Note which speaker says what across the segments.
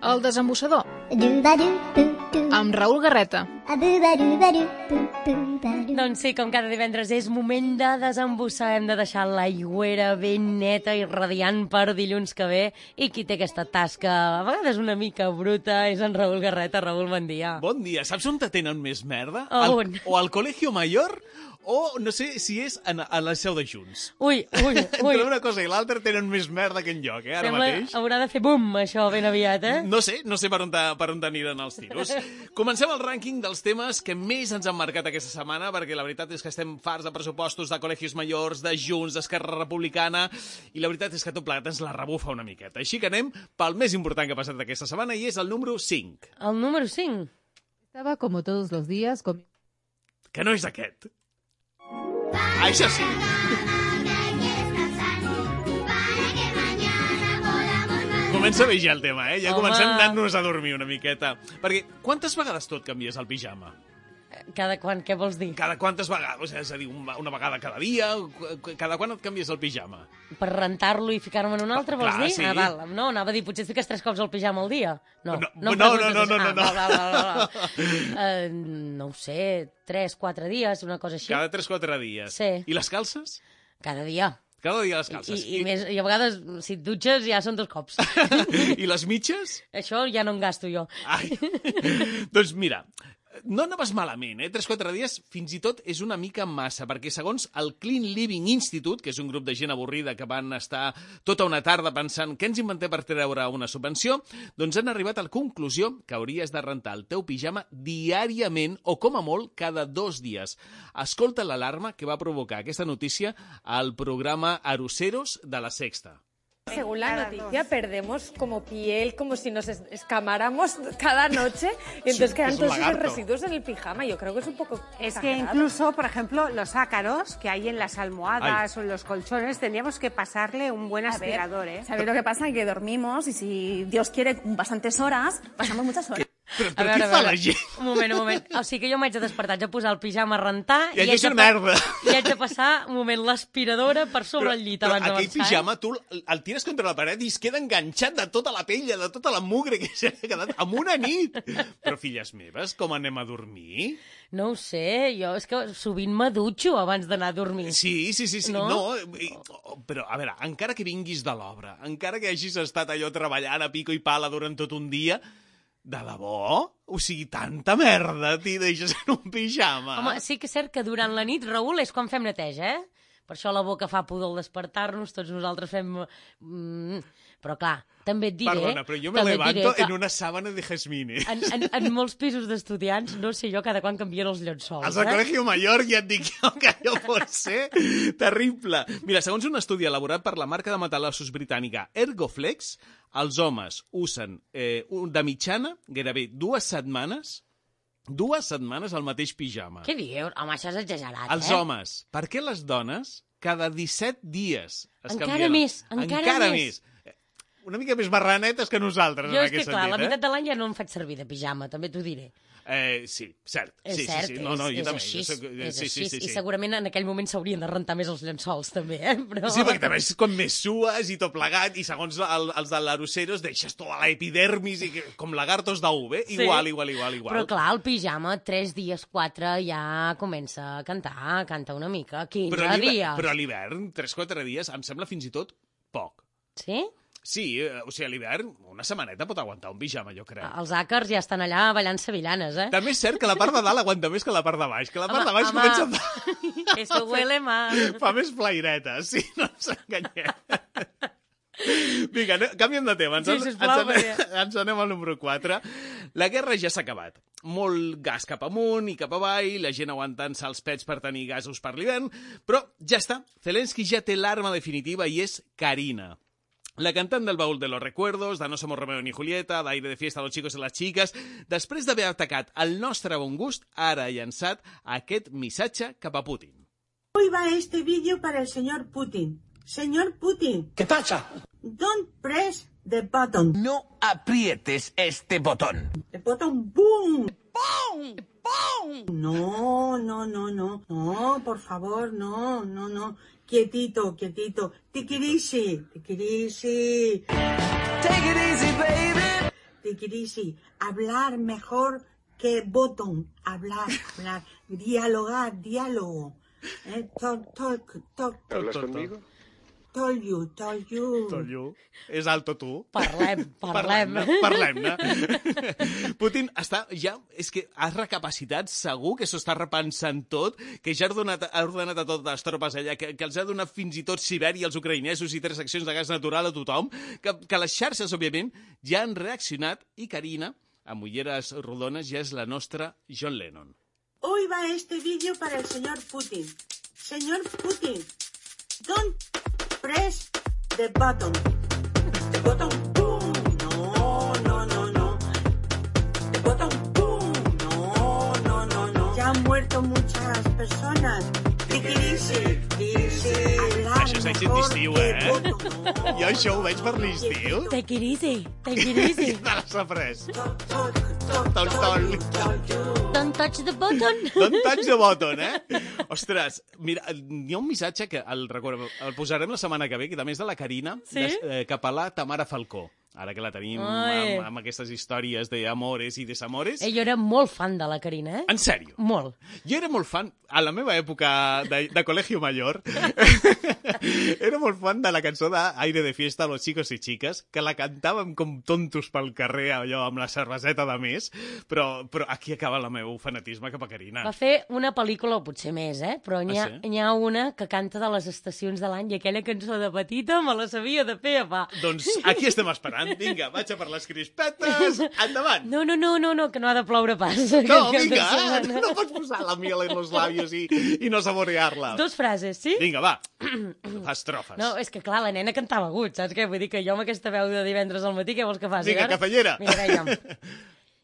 Speaker 1: El desembussador, amb Raül Garreta.
Speaker 2: Doncs sí, com cada divendres és moment de desembussar. Hem de deixar l'aigüera ben neta i radiant per dilluns que ve. I qui té aquesta tasca, a vegades una mica bruta, és en Raül Garreta. Raül, bon dia.
Speaker 3: Bon dia. Saps on te tenen més merda?
Speaker 2: On?
Speaker 3: O al Colegio Mayor, o no sé si és a la seu de Junts.
Speaker 2: Ui.
Speaker 3: Entre una cosa i l'altra tenen més merda que enlloc, ara mateix.
Speaker 2: Haurà de fer bum, això, ben aviat, eh?
Speaker 3: No sé per on aniran els tiros. Comencem el rànquing dels temes que més ens han marcat aquesta setmana, perquè la veritat és que estem farts de pressupostos, de col·legis majors, de Junts, d'Esquerra Republicana, i la veritat és que tot plegat ens la rebufa una miqueta. Així que anem pel més important que ha passat aquesta setmana, i és el número 5.
Speaker 2: El número 5?
Speaker 4: Estaba como todos los días con...
Speaker 3: Que no és aquest. Això sí. Comença bé ja el tema, eh? Ja comencem anant-nos a dormir una miqueta. Perquè quantes vegades tu et canvies el pijama?
Speaker 2: Cada quan, què vols dir?
Speaker 3: Cada quantes vegades? És a dir, una vegada cada dia? Cada quan et canvies el pijama?
Speaker 2: Per rentar-lo i ficar-me en un altre, vols dir?
Speaker 3: Sí.
Speaker 2: Ah, val. No, anava a dir, potser et fiques 3 cops el pijama al dia. No.
Speaker 3: No.
Speaker 2: No ho sé, 3-4 dies, una cosa així.
Speaker 3: Cada 3-4 dies.
Speaker 2: Sí.
Speaker 3: I les calces?
Speaker 2: Cada dia.
Speaker 3: Cada dia les calces.
Speaker 2: I a vegades, si et dutxes, ja són 2 cops.
Speaker 3: I les mitges?
Speaker 2: Això ja no en gasto jo.
Speaker 3: Ai. Doncs mira, no anaves malament, 3-4 dies fins i tot és una mica massa, perquè segons el Clean Living Institute, que és un grup de gent avorrida que van estar tota una tarda pensant què ens inventem per treure una subvenció, doncs han arribat a la conclusió que hauries de rentar el teu pijama diàriament o com a molt cada 2 dies. Escolta l'alarma que va provocar aquesta notícia al programa Aruseros de la Sexta.
Speaker 5: Según la noticia, perdemos como piel, como si nos escamáramos cada noche, y entonces quedan todos esos residuos en el pijama. Yo creo que es un poco
Speaker 6: Es que incluso, por ejemplo, los ácaros que hay en las almohadas o en los colchones, tendríamos que pasarle un buen aspirador, ¿eh?
Speaker 7: ¿Sabéis lo que pasa? Que dormimos y si Dios quiere bastantes horas, pasamos muchas horas.
Speaker 3: Però què fa la gent?
Speaker 2: Un moment. O sigui que jo m'haig de despertar, haig de posar el pijama a rentar
Speaker 3: I haig de
Speaker 2: passar un moment l'aspiradora per sobre el llit abans d'avançar.
Speaker 3: Però aquell pijama tu el tires contra la paret i es queda enganxat de tota la pell, de tota la mugre que s'ha quedat en una nit. Però, filles meves, com anem a dormir?
Speaker 2: No ho sé, jo és que sovint m'adutxo abans d'anar a dormir.
Speaker 3: Sí.
Speaker 2: No?
Speaker 3: Però, a veure, encara que vinguis de l'obra, encara que hagis estat allò treballant a pico i pala durant tot un dia, de debò? O sigui, tanta merda t'hi deixes en un pijama?
Speaker 2: Home, sí que és cert que durant la nit, Raül, és quan fem neteja, eh? Per això la boca fa pudor al despertar-nos, tots nosaltres fem... Però clar, també et diré...
Speaker 3: Perdona, però jo me levanto en una sàbana de jazmine.
Speaker 2: En molts pisos d'estudiants, no sé jo cada quan canvien els llençols.
Speaker 3: Els del Colegio Mayor ja et dic jo que allò pot ser terrible. Mira, segons un estudi elaborat per la marca de matalassos britànica Ergoflex, els homes usen de mitjana gairebé 2 setmanes al mateix pijama.
Speaker 2: Què dius? Home, això és exagerat,
Speaker 3: Els homes. Per què les dones cada 17 dies es canvien?
Speaker 2: Encara més.
Speaker 3: Una mica més marranetes que nosaltres,
Speaker 2: jo
Speaker 3: en
Speaker 2: és que,
Speaker 3: aquest
Speaker 2: clar,
Speaker 3: sentit.
Speaker 2: La meitat de l'any ja no em faig servir de pijama, també t'ho diré.
Speaker 3: Sí, cert.
Speaker 2: És cert,
Speaker 3: sí. No, jo també.
Speaker 2: És així. I segurament en aquell moment s'haurien de rentar més els llençols, també, Però...
Speaker 3: Sí, perquè també és com més sues i tot plegat, i segons els de l'Aruseros deixes tota l'epidermis i com lagartos d'ou, eh? Igual.
Speaker 2: Però clar, el pijama, 3 dies, 4, ja comença a cantar, canta una mica, 15 dies.
Speaker 3: Però a l'hivern, 3-4 dies, em sembla fins i tot poc.
Speaker 2: Sí?
Speaker 3: Sí, o sigui, a l'hivern una setmaneta pot aguantar un pijama, jo crec.
Speaker 2: Els àcars ja estan allà ballant sevillanes,
Speaker 3: També és cert que la part de dalt aguanta més que la part de baix, que la part de baix comença a...
Speaker 2: Eso huele mal.
Speaker 3: Fa més flairetes, sí, no ens enganyem. Vinga, canviem de tema. Ens anem al número 4. La guerra ja s'ha acabat. Molt gas cap amunt i cap avall, la gent aguantant-se els pets per tenir gasos per l'hivern, però ja està. Zelensky ja té l'arma definitiva i és Karina. La cantant del Baúl de los Recuerdos, de No somos Romeo ni Julieta, d'Aire de Fiesta, Los chicos y las chicas, després d'haver atacat el nostre bon gust, ara ha llançat aquest missatge cap a Putin.
Speaker 8: Hoy va este vídeo para el señor Putin. Señor Putin.
Speaker 9: ¿Qué pasa?
Speaker 8: Don't press the button.
Speaker 9: No aprietes este botón.
Speaker 8: The button, boom.
Speaker 7: ¡Pum! ¡Pum!
Speaker 8: No, no, no, no. No, por favor, no, no, no. Quietito, quietito. Take it easy. Take it easy.
Speaker 9: Take it easy, baby.
Speaker 8: Take it easy. Hablar mejor que botón. Hablar. Dialogar, diálogo. Talk.
Speaker 10: ¿Hablas conmigo?
Speaker 8: Told you.
Speaker 3: És alto tu.
Speaker 2: Parlem-ne.
Speaker 3: Putin està ja... És que has recapacitat, segur que s'ho està repensant tot, que ja ha ordenat a totes les tropes allà, que els ha donat fins i tot Sibèria als ucraïnesos i 3 seccions de gas natural a tothom, que les xarxes, òbviament, ja han reaccionat i Karina, amb ulleres rodones, ja és la nostra John Lennon.
Speaker 8: Hoy va este vídeo para el señor Putin. Señor Putin, don't press the button. The button, boom. No. The button, boom. No. Ya han muerto muchas personas.
Speaker 3: Això és èxit d'estiu, Jo això ho veig per l'estiu.
Speaker 2: Take it easy.
Speaker 3: I te l'has après.
Speaker 2: Don't touch the button.
Speaker 3: Don't touch the button, Ostres, mira, hi ha un missatge que el posarem la setmana que ve, que també és de la Karina, cap a la Tamara Falcó. Ara que la tenim amb aquestes històries d'amores i desamores.
Speaker 2: Jo era molt fan de la Karina,
Speaker 3: En sèrio?
Speaker 2: Molt.
Speaker 3: Jo era molt fan, a la meva època de Colegio Mayor, era molt fan de la cançó d'Aire de Fiesta, Los Chicos y Chicas, que la cantàvem com tontos pel carrer, allò amb la cerveseta de més, però aquí acaba el meu fanatisme cap a Karina.
Speaker 2: Va fer una pel·lícula, o potser més, però n'hi ha una que canta de les estacions de l'any i aquella cançó de petita me la sabia de pe a pa.
Speaker 3: Doncs aquí estem esperant. Vinga, vaig a per les crispetes. Endavant.
Speaker 2: No, que no ha de ploure pas.
Speaker 3: No, vinga, no pots posar la miel en los labios i no saborear-la.
Speaker 2: 2 frases, sí?
Speaker 3: Vinga, va. Estrofes.
Speaker 2: No, és que clar, la nena cantava agut, saps què? Vull dir que jo amb aquesta veu de divendres al matí, què vols que faci?
Speaker 3: Vinga, cafellera.
Speaker 2: Mira, veiem.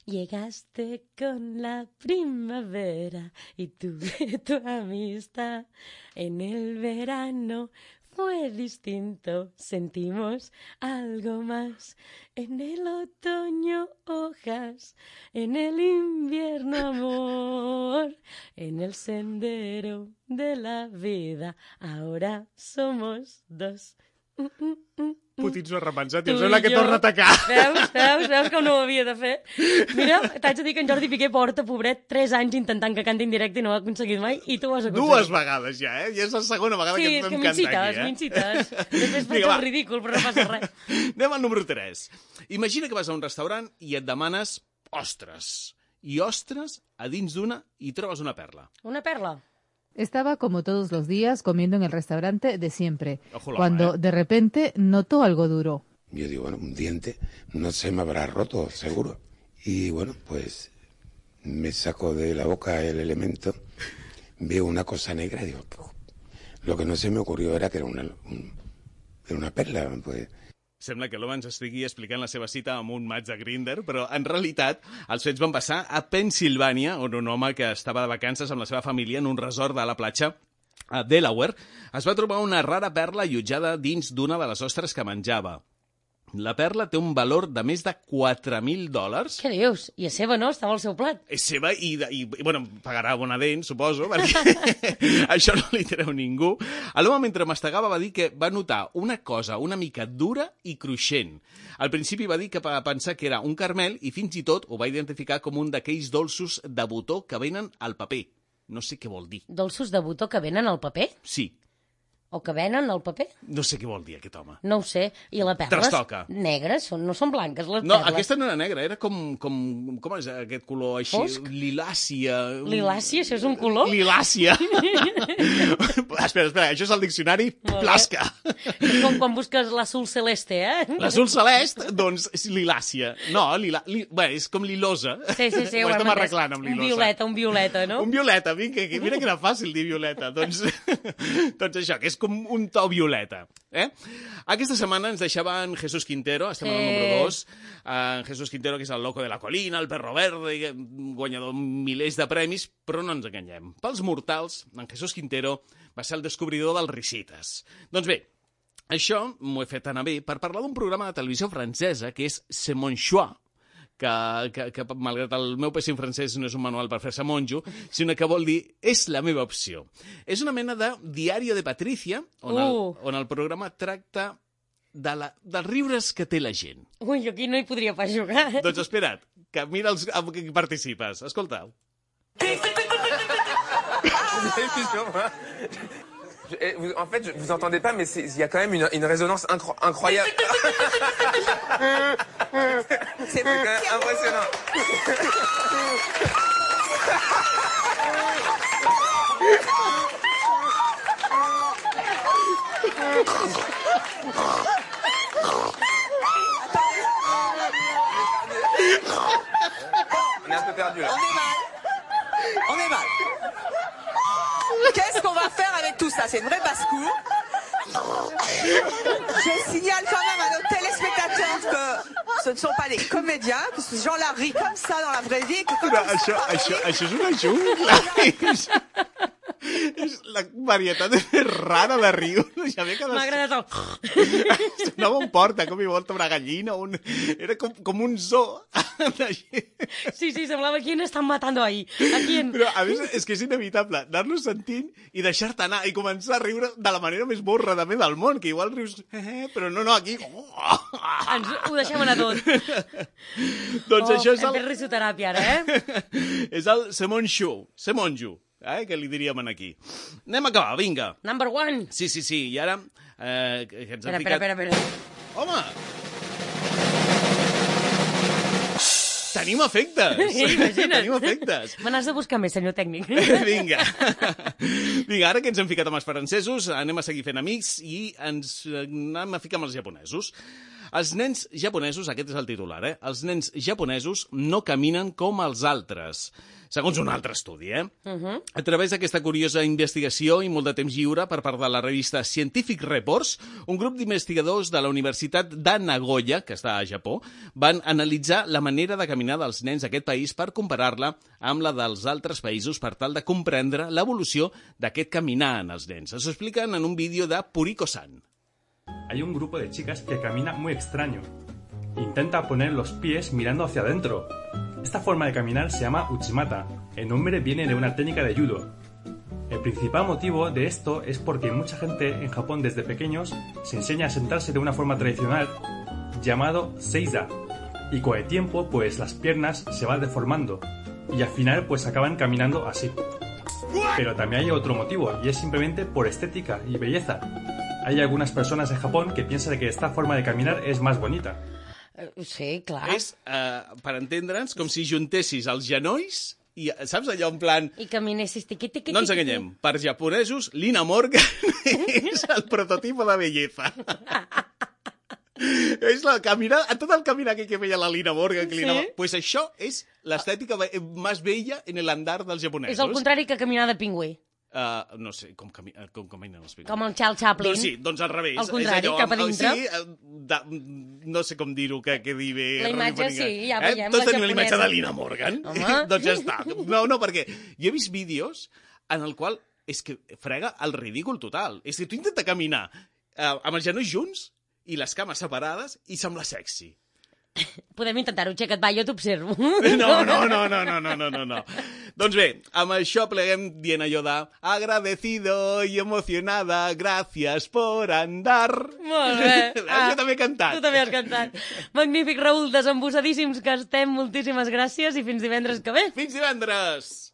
Speaker 2: Llegaste con la primavera y tuve tu amistad. En el verano fue distinto, sentimos algo más. En el otoño hojas, en el invierno amor, en el sendero de la vida, ahora somos 2.
Speaker 3: Putin s'ho ha repensat i em sembla que torna a atacar.
Speaker 2: Veus que no ho havia de fer? Mira, t'haig de dir que en Jordi Piqué porta, pobret, 3 anys intentant que canti en directe i no ho ha aconseguit mai, i tu ho has aconseguit.
Speaker 3: 2 vegades ja, I és la segona vegada que em canta aquí,
Speaker 2: Sí, m'incites. Després faig el ridícul, però no passa res.
Speaker 3: Anem al número 3. Imagina que vas a un restaurant i et demanes ostres. I ostres, a dins d'una hi trobes una perla.
Speaker 2: Una perla?
Speaker 4: Estaba como todos los días comiendo en el restaurante de siempre,
Speaker 3: Ojo,
Speaker 4: cuando de repente notó algo duro.
Speaker 10: Yo digo, bueno, un diente no se me habrá roto, seguro. Y bueno, pues me saco de la boca el elemento, veo una cosa negra y digo, lo que no se me ocurrió era que era una perla, pues.
Speaker 3: Sembla que l'home ens estigui explicant la seva cita amb un match de Grindr, però en realitat els fets van passar a Pennsilvània, on un home que estava de vacances amb la seva família en un resort de la platja a Delaware es va trobar una rara perla allotjada dins d'una de les ostres que menjava. La perla té un valor de més de $4.000.
Speaker 2: Què dius? I és seva, no? Estava al seu plat.
Speaker 3: És seva i bueno, pagarà Bonadent, suposo, perquè això no li treu ningú. L'home, mentre mastegava, va dir que va notar una cosa una mica dura i cruixent. Al principi va dir que va pensar que era un caramel i fins i tot ho va identificar com un d'aquells dolços de botó que venen al paper. No sé què vol dir.
Speaker 2: Dolços de botó que venen al paper?
Speaker 3: Sí.
Speaker 2: O que venen al paper?
Speaker 3: No sé què vol dir aquest home.
Speaker 2: No ho sé. I les perles negres no són blanques, les perles.
Speaker 3: No, aquesta no era negra, era com és aquest color així?
Speaker 2: Fosc?
Speaker 3: Lilàcia.
Speaker 2: Lilàcia? Això és un color?
Speaker 3: Lilàcia. Espera, això és el diccionari Plasca.
Speaker 2: És com quan busques l'azul celeste,
Speaker 3: L'azul celest, doncs, és lilàcia. No, bé, és com lilosa.
Speaker 2: Sí.
Speaker 3: Ho estem arreglant amb lilosa.
Speaker 2: Un violeta, no?
Speaker 3: Un violeta, mira que era fàcil dir violeta. Doncs això, que és com un to violeta. Aquesta setmana ens deixava en Jesús Quintero, estem al número 2, en Jesús Quintero, que és el loco de la colina, el perro verde, guanyador milers de premis, però no ens enganyem. Pels mortals, en Jesús Quintero va ser el descobridor dels risites. Doncs bé, això m'ho he fet anar bé per parlar d'un programa de televisió francesa que és C'est mon choix, que malgrat el meu pèssim francès no és un manual per fer-se monjo, sinó que vol dir és la meva opció. És una mena de diario de Patricia, on el programa tracta dels riures que té la gent.
Speaker 2: Ui, jo aquí no hi podria pas jugar.
Speaker 3: Doncs espera't, que mira amb qui participes. Escolta.
Speaker 11: En fait, vous entendez pas, mais il y a quand même une résonance incroyable. C'est quand même impressionnant. On est un peu perdu là.
Speaker 12: On est mal. Qu'est-ce qu'on va faire avec tout ça? C'est une vraie basse-cour. Je signale quand même à nos téléspectateurs que ce ne sont pas des comédiens, que ces gens-là rient comme ça dans la vraie vie.
Speaker 3: Això és una jungla. És la varietat més rara de riure.
Speaker 2: M'ha agradat el...
Speaker 3: Sonava un porta, com hi volta una gallina. Era com un zoo.
Speaker 2: Sí, semblava quién estan matando ahí. A quién?
Speaker 3: Però, a més, és que és inevitable anar-lo sentint i deixar-te anar i començar a riure de la manera més borra també del món, que igual rius... però no, aquí...
Speaker 2: Ho deixem anar tot.
Speaker 3: Doncs això és
Speaker 2: hem fet risoteràpia ara,
Speaker 3: És el Semonjo, que li diríem aquí. Anem a acabar, vinga.
Speaker 2: Number 1.
Speaker 3: Sí, i ara...
Speaker 2: Espera.
Speaker 3: Home! Tenim efectes!
Speaker 2: Imagina't.
Speaker 3: Tenim efectes!
Speaker 2: Me n'has de buscar més, senyor tècnic.
Speaker 3: Vinga, ara que ens hem ficat amb els francesos, anem a seguir fent amics i ens anem a ficar amb els japonesos. Els nens japonesos, aquest és el titular, els nens japonesos no caminen com els altres. Segons un altre estudi, A través d'aquesta curiosa investigació i molt de temps lliure per part de la revista Scientific Reports, un grup d'investigadors de la Universitat de Nagoya, que està a Japó, van analitzar la manera de caminar dels nens d'aquest país per comparar-la amb la dels altres països per tal de comprendre l'evolució d'aquest caminar en els nens. S'ho expliquen en un vídeo de Puriko-san.
Speaker 13: Hay un grupo de chicas que camina muy extraño. Intenta poner los pies mirando hacia adentro. Esta forma de caminar se llama Uchimata. El nombre viene de una técnica de judo. El principal motivo de esto es porque mucha gente en Japón desde pequeños se enseña a sentarse de una forma tradicional llamado seiza. Y con el tiempo pues las piernas se van deformando y al final pues acaban caminando así. Pero también hay otro motivo y es simplemente por estética y belleza. Hay algunas personas en Japón que piensan que esta forma de caminar es más bonita.
Speaker 2: Sí, clar.
Speaker 3: És, per entendre'ns, com si juntessis els genolls i, saps, allò en plan...
Speaker 2: I caminessis tiqui.
Speaker 3: No ens enganyem. Per japonesos, Lina Morgan és el prototipo de belleza. És la caminar, tot el caminar que feia la Lina Morgan. Pues això és l'estètica més bella en l'andar dels japonesos.
Speaker 2: És el contrari que caminar de pingüí.
Speaker 3: No sé, com caminen els pingüins.
Speaker 2: Com el Charles Chaplin.
Speaker 3: Doncs sí, doncs al revés.
Speaker 2: Al contrari, cap a dintre.
Speaker 3: Sí, no sé com dir-ho, que quedi bé.
Speaker 2: La imatge sí, ja veiem,
Speaker 3: tots
Speaker 2: la
Speaker 3: tenim
Speaker 2: japonesa.
Speaker 3: la imatge de Lina Morgan. Doncs ja està. No, perquè jo he vist vídeos en el qual és que frega el ridícul total. És que tu intenta caminar amb els genolls junts i les cames separades i sembla sexy.
Speaker 2: Podem intentar-ho, Xeca't, va, jo t'observo.
Speaker 3: No. Doncs bé, amb això pleguem dient allò de agradecido y emocionada, gracias por andar.
Speaker 2: Molt bé.
Speaker 3: Jo també he cantat.
Speaker 2: Tu també has cantat. Magnífic, Raül, desembussadíssims que estem. Moltíssimes gràcies i fins divendres que ve.
Speaker 3: Fins divendres!